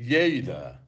Lleida,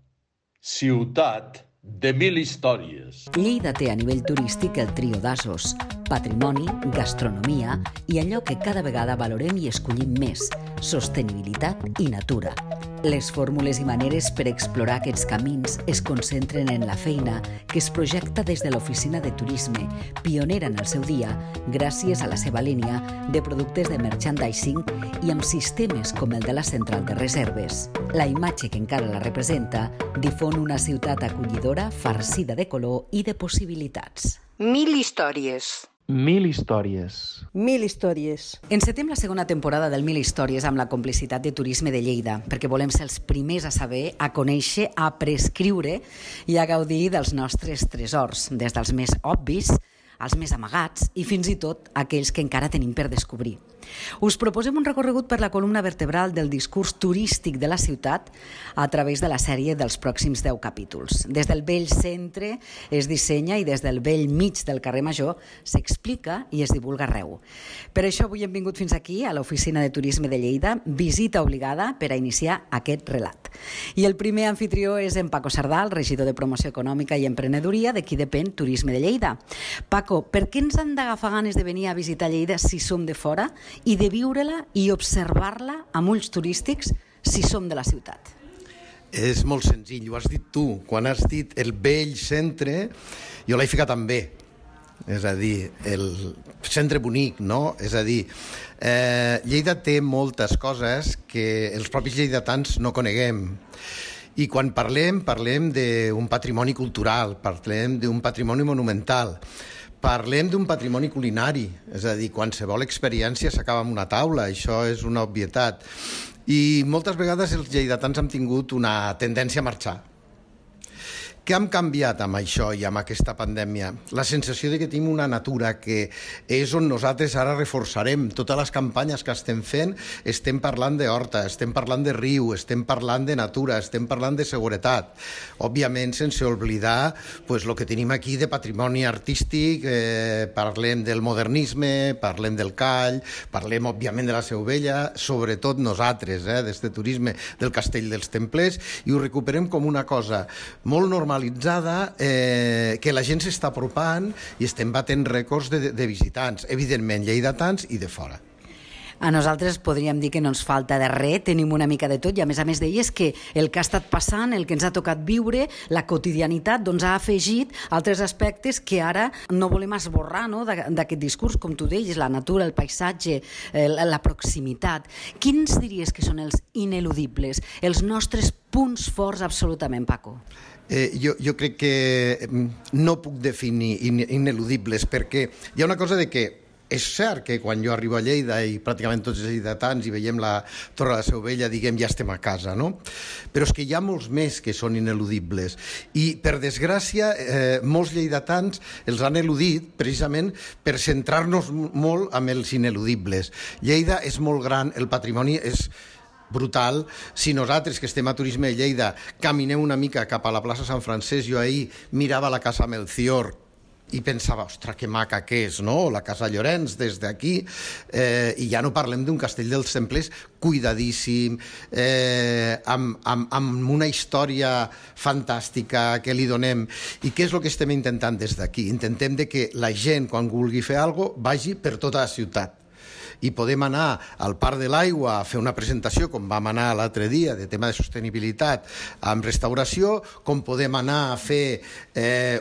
ciutat de mil històries. Lleida té a nivell turístic el trio d'asos: patrimoni, gastronomia i allò que cada vegada valorem i escollim més: sostenibilitat i natura. Les fórmules i maneres per explorar aquests camins es concentren en la feina que es projecta des de l'Oficina de Turisme, pionera en el seu dia, gràcies a la seva línia de productes de merchandising i amb sistemes com el de la central de reserves. La imatge que encara la representa difon una ciutat acollidora, farcida de color i de possibilitats. 1000 històries. 1000 històries. 1000 històries. Encetem la segona temporada del 1000 històries amb la complicitat de Turisme de Lleida, perquè volem ser els primers a saber, a conèixer, a prescriure i a gaudir dels nostres tresors, des dels més obvis als més amagats i fins i tot aquells que encara tenim per descobrir. Us proposem un recorregut per la columna vertebral del discurs turístic de la ciutat a través de la sèrie dels pròxims 10 capítols. Des del vell centre es dissenya i des del vell mig del carrer Major s'explica i es divulga arreu. Per això avui hem vingut fins aquí, a l'Oficina de Turisme de Lleida, visita obligada per a iniciar aquest relat. I el primer anfitrió és en Paco Sardal, regidor de Promoció Econòmica i Emprenedoria, de qui depèn Turisme de Lleida. Paco, per què ens han d'agafar ganes de venir a visitar Lleida si som de fora i de viure-la i observar-la amb ulls turístics si som de la ciutat? És molt senzill, ho has dit tu. Quan has dit el vell centre, jo l'he ficat també. És a dir, el centre bonic, no? És a dir, Lleida té moltes coses que els propis lleidatans no coneguem. I quan parlem d'un patrimoni cultural, parlem d'un patrimoni monumental, parlem d'un patrimoni culinari, és a dir, qualsevol experiència s'acaba amb una taula, això és una obvietat. I moltes vegades els lleidatans han tingut una tendència a marxar. Què hem canviat amb això i amb aquesta pandèmia? La sensació de que tenim una natura que és on nosaltres ara reforçarem. Totes les campanyes que estem fent, estem parlant d'horta, estem parlant de riu, estem parlant de natura, estem parlant de seguretat. Òbviament, sense oblidar el que tenim aquí de patrimoni artístic, parlem del modernisme, parlem del call, parlem, òbviament, de la Seu Vella, sobretot nosaltres, des de turisme del Castell dels Templers, i ho recuperem com una cosa molt normalitzada, que la gent s'està apropant i estem batent rècords de visitants, evidentment lleidatans i de fora. A nosaltres podríem dir que no ens falta de res, tenim una mica de tot i a més deies que el que ha estat passant, el que ens ha tocat viure, la quotidianitat, doncs ha afegit altres aspectes que ara no volem esborrar, no?, d'aquest discurs, com tu deies, la natura, el paisatge, la proximitat. Quins diries que són els ineludibles, els nostres punts forts absolutament, Paco? Jo crec que no puc definir ineludibles, perquè hi ha una cosa de que és cert que quan jo arribo a Lleida i pràcticament tots els lleidatans i veiem la Torre de la Seu Vella, diguem, ja estem a casa, no? Però és que hi ha molts més que són ineludibles i, per desgràcia, molts lleidatans els han eludit precisament per centrar-nos molt amb els ineludibles. Lleida és molt gran, el patrimoni és brutal. Si nosaltres, que estem a Turisme de Lleida, caminem una mica cap a la plaça Sant Francesc, jo ahir mirava la Casa Melcior i pensava, ostres, que maca que és, no?, la Casa Llorenç des d'aquí, i ja no parlem d'un Castell dels Templers cuidadíssim, amb una història fantàstica que li donem. I què és el que estem intentant des d'aquí? Intentem que la gent, quan vulgui fer alguna cosa, vagi per tota la ciutat. I podem anar al Parc de l'Aigua a fer una presentació, com vam anar l'altre dia, de tema de sostenibilitat amb restauració, com podem anar a fer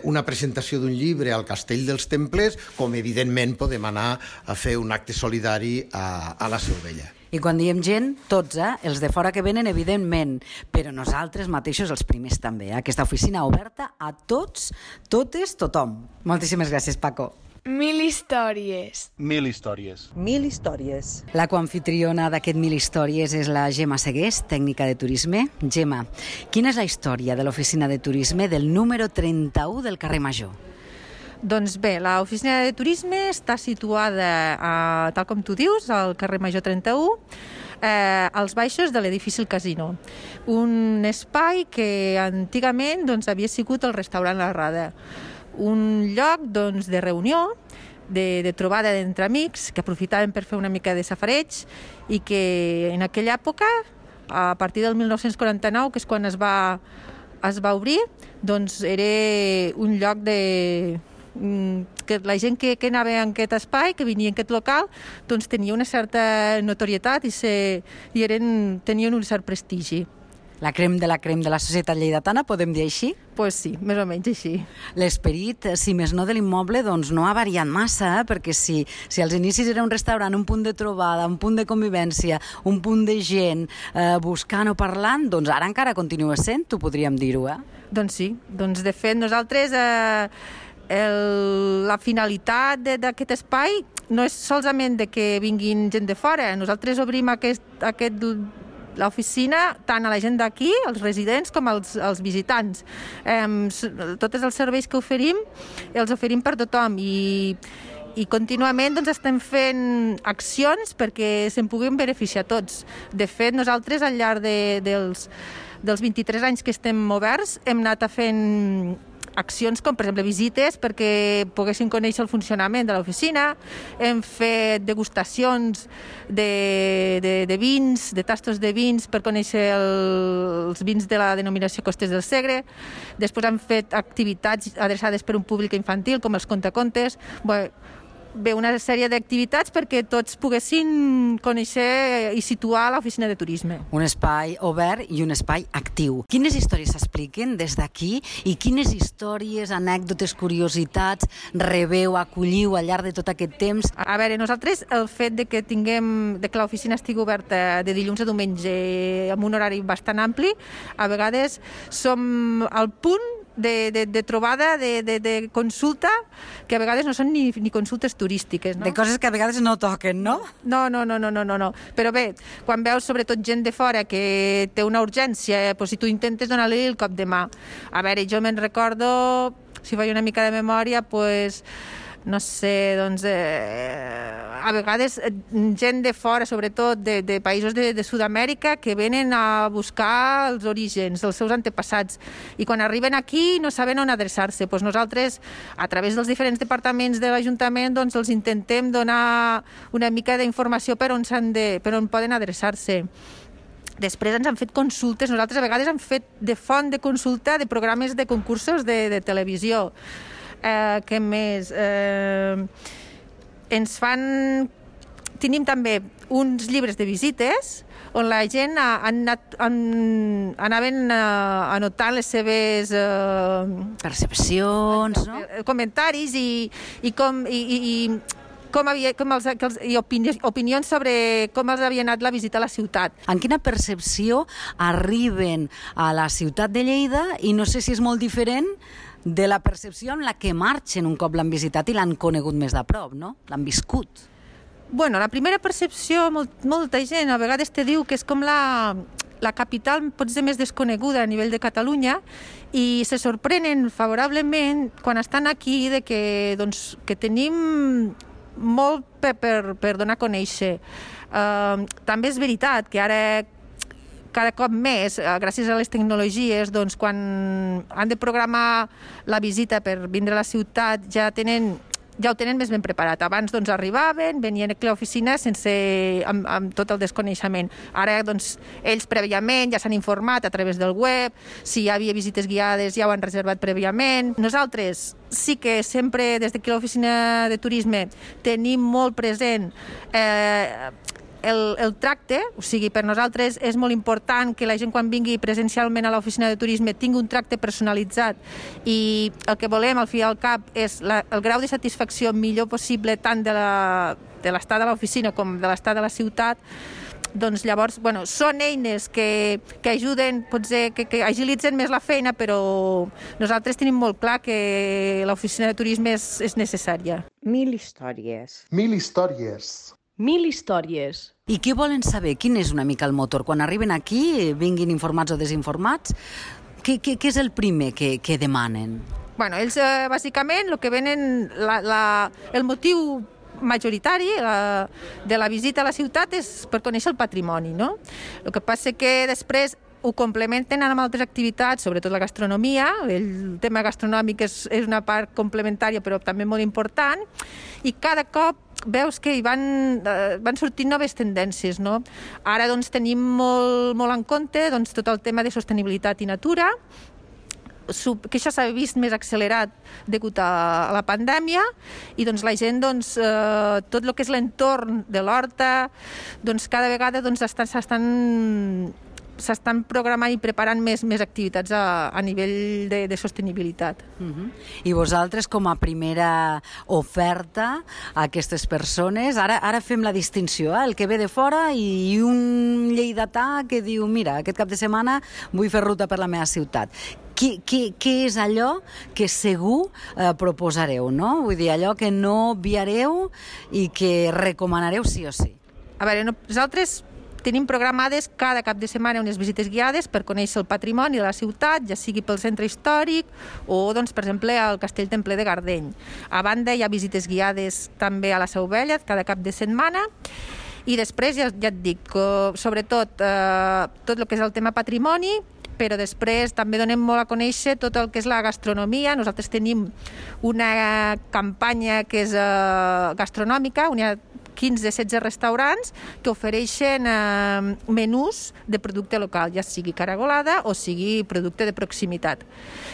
una presentació d'un llibre al Castell dels Templers, com evidentment podem anar a fer un acte solidari a la Seu Vella. I quan diem gent, tots, els de fora que venen, evidentment, però nosaltres mateixos els primers també. Aquesta oficina oberta a tots, totes, tothom. Moltíssimes gràcies, Paco. 1000 històries. 1000 històries. 1000 històries. La coanfitriona d'aquest 1000 històries és la Gemma Segués, tècnica de turisme. Gemma, quina és la història de l'Oficina de Turisme del número 31 del carrer Major? Doncs bé, l'Oficina de Turisme està situada, tal com tu dius, al carrer Major 31, als baixos de l'edifici El Casino. Un espai que antigament havia sigut el restaurant La Rada. Un lloc de reunió, de trobada d'entre amics que aprofitaven per fer una mica de safareig i que en aquella època a partir del 1949, que és quan es va obrir, doncs era un lloc que la gent que anava en aquest espai, que venia en aquest local, doncs tenia una certa notorietat i tenien un cert prestigi. La crem de la societat lleidatana, podem dir així? Pues sí, més o menys així. L'esperit, si més no de l'immoble, doncs no ha variat massa, perquè si als inicis era un restaurant, un punt de trobada, un punt de convivència, un punt de gent buscant o parlant, doncs ara encara continua sent, ho podríem dir-ho, Doncs sí, doncs de fet nosaltres la finalitat d'aquest espai no és solament de que vinguin gent de fora, nosaltres obrim l'oficina tant a la gent d'aquí, els residents, com als visitants. Tots els serveis que oferim, els oferim per tothom i contínuament doncs, estem fent accions perquè se'n puguin beneficiar tots. De fet, nosaltres al llarg dels 23 anys que estem oberts hem anat fent accions com, per exemple, visites perquè poguessin conèixer el funcionament de l'oficina, hem fet degustacions de vins, de tastos de vins per conèixer els vins de la denominació Costes del Segre, després hem fet activitats adreçades per un públic infantil com els contacontes, una sèrie d'activitats perquè tots poguessin conèixer i situar l'oficina de turisme. Un espai obert i un espai actiu. Quines històries s'expliquen des d'aquí i quines històries, anècdotes, curiositats rebeu, acolliu al llarg de tot aquest temps? A veure, nosaltres el fet de que l'oficina estigui oberta de dilluns a diumenge amb un horari bastant ampli, a vegades som al punt de trobada, de consulta, que a vegades no són ni consultes turístiques, no? De coses que a vegades no toquen, no? No. Però bé, quan veus sobretot gent de fora que té una urgència, si tu intentes donar-li el cop de mà. A veure, jo me'n recordo, si faig una mica de memòria, no sé, doncs, a vegades gent de fora, sobretot de països de Sud-amèrica, que venen a buscar els orígens dels seus antepassats i quan arriben aquí no saben on adreçar-se. Doncs nosaltres, a través dels diferents departaments de l'Ajuntament, doncs els intentem donar una mica d'informació per on poden adreçar-se. Després ens han fet consultes, nosaltres a vegades hem fet de font de consulta de programes de concursos de televisió. Què més? Tenim també uns llibres de visites on la gent anaven anotant les seves percepcions, no? Comentaris i opinions sobre com els havia anat la visita a la ciutat. En quina percepció arriben a la ciutat de Lleida i no sé si és molt diferent de la percepció amb la que marxen un cop l'han visitat i l'han conegut més de prop, no? L'han viscut. La primera percepció, molta gent a vegades te diu que és com la capital potser més desconeguda a nivell de Catalunya i se sorprenen favorablement quan estan aquí de que tenim molt per donar a conèixer. També és veritat que ara cada cop més, gràcies a les tecnologies, doncs quan han de programar la visita per vindre a la ciutat ja ho tenen més ben preparat. Abans doncs arribaven, venien aquí a l'oficina amb tot el desconeixement. Ara doncs ells prèviament ja s'han informat a través del web, si hi havia visites guiades ja ho han reservat prèviament. Nosaltres sí que sempre des d'aquí a l'oficina de turisme tenim molt present el tracte, o sigui, per nosaltres és molt important que la gent quan vingui presencialment a l'oficina de turisme tingui un tracte personalitzat i el que volem al fi i al cap és el grau de satisfacció millor possible tant de l'estat de l'oficina com de l'estat de la ciutat. Doncs llavors, són eines que ajuden, potser que agilitzen més la feina, però nosaltres tenim molt clar que l'oficina de turisme és necessària. 1000 històries. 1000 històries. 1000 històries. I què volen saber? Quin és una mica el motor? Quan arriben aquí, vinguin informats o desinformats, què és el primer que demanen? Ells, bàsicament, el que venen, el motiu majoritari de la visita a la ciutat és per conèixer el patrimoni, no? El que passa que després ho complementen amb altres activitats, sobretot la gastronomia. El tema gastronòmic és una part complementària però també molt important i cada cop veus que hi van sortint noves tendències, no? Ara doncs, tenim molt en compte doncs, tot el tema de sostenibilitat i natura, que això s'ha vist més accelerat degut a la pandèmia, i doncs, la gent, doncs, tot el que és l'entorn de l'horta, doncs, cada vegada doncs, s'estan programant i preparant més activitats a nivell de sostenibilitat. I vosaltres, com a primera oferta a aquestes persones, ara fem la distinció, el que ve de fora i un lleidatà que diu, mira, aquest cap de setmana vull fer ruta per la meva ciutat. Què és allò que segur proposareu, no? Vull dir, allò que no obviareu i que recomanareu sí o sí. A veure, nosaltres tenim programades cada cap de setmana unes visites guiades per conèixer el patrimoni de la ciutat, ja sigui pel centre històric o, doncs, per exemple, al Castell Templer de Gardeny. A banda, hi ha visites guiades també a la Seu Vella cada cap de setmana. I després, ja et dic, sobretot tot el que és el tema patrimoni, però després també donem molt a conèixer tot el que és la gastronomia. Nosaltres tenim una campanya que és gastronòmica, on hi ha 15-16 restaurants que ofereixen menús de producte local, ja sigui caragolada o sigui producte de proximitat.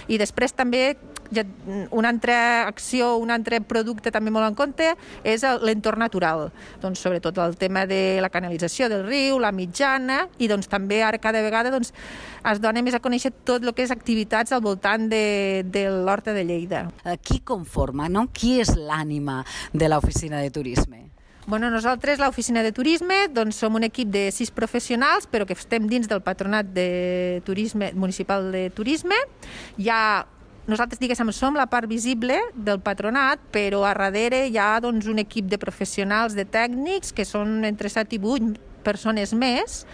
I després també una altra acció, un altre producte també molt en compte és l'entorn natural. Doncs sobretot el tema de la canalització del riu, la mitjana, i doncs també ara cada vegada doncs, es dona més a conèixer tot el que és activitats al voltant de l'Horta de Lleida. Qui conforma, no? Qui és l'ànima de l'oficina de turisme? Bueno, nosaltres, l'oficina de turisme, doncs, som un equip de 6 professionals, però que estem dins del Patronat de Turisme Municipal de Turisme. Nosaltres, diguéssim, som la part visible del patronat, però a darrere hi ha doncs, un equip de professionals, de tècnics, que són entre 7 i 8 persones més,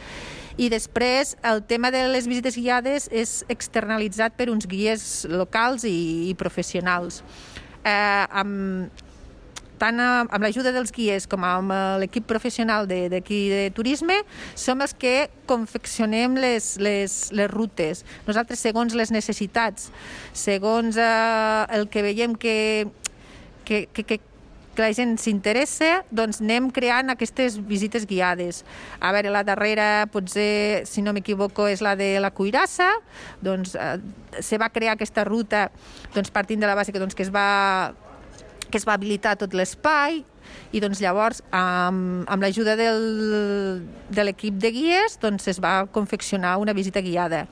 i després el tema de les visites guiades és externalitzat per uns guies locals i professionals. Tant amb l'ajuda dels guies com amb l'equip professional d'aquí de turisme, som els que confeccionem les rutes. Nosaltres, segons les necessitats, segons el que veiem que la gent s'interessa, doncs anem creant aquestes visites guiades. A veure, la darrera, potser, si no m'equivoco, és la de la Cuirassa. Doncs se va crear aquesta ruta doncs, partint de la base que es va habilitar tot l'espai, i doncs llavors amb l'ajuda de l'equip de guies doncs es va confeccionar una visita guiada.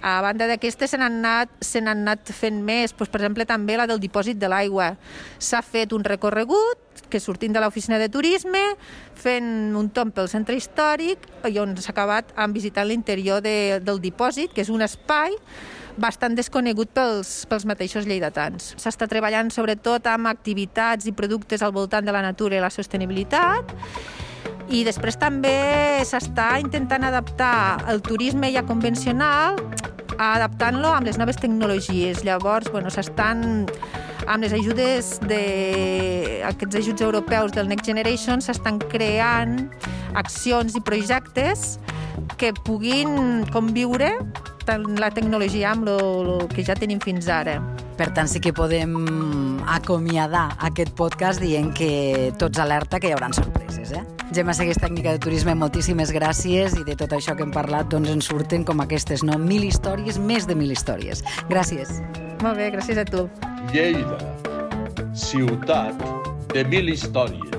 A banda d'aquestes se n'han anat fent més, doncs, per exemple també la del dipòsit de l'aigua. S'ha fet un recorregut que sortint de l'oficina de turisme, fent un tomb pel centre històric, i on s'ha acabat visitant l'interior del dipòsit, que és un espai bastant desconegut pels mateixos lleidatans. S'està treballant sobretot amb activitats i productes al voltant de la natura i la sostenibilitat, i després també s'està intentant adaptar el turisme ja convencional, adaptant-lo amb les noves tecnologies. Llavors, s'estan, amb les ajudes aquests ajuts europeus del Next Generation, s'estan creant accions i projectes que puguin conviure tant la tecnologia amb el que ja tenim fins ara. Per tant, sí que podem acomiadar aquest podcast dient que tots alerta que hi haurà sorpreses, Gemma Segués, tècnica de turisme, moltíssimes gràcies, i de tot això que hem parlat doncs en surten com aquestes, no? 1000 històries, més de 1000 històries. Gràcies. Molt bé, gràcies a tu. Lleida, ciutat de 1000 històries.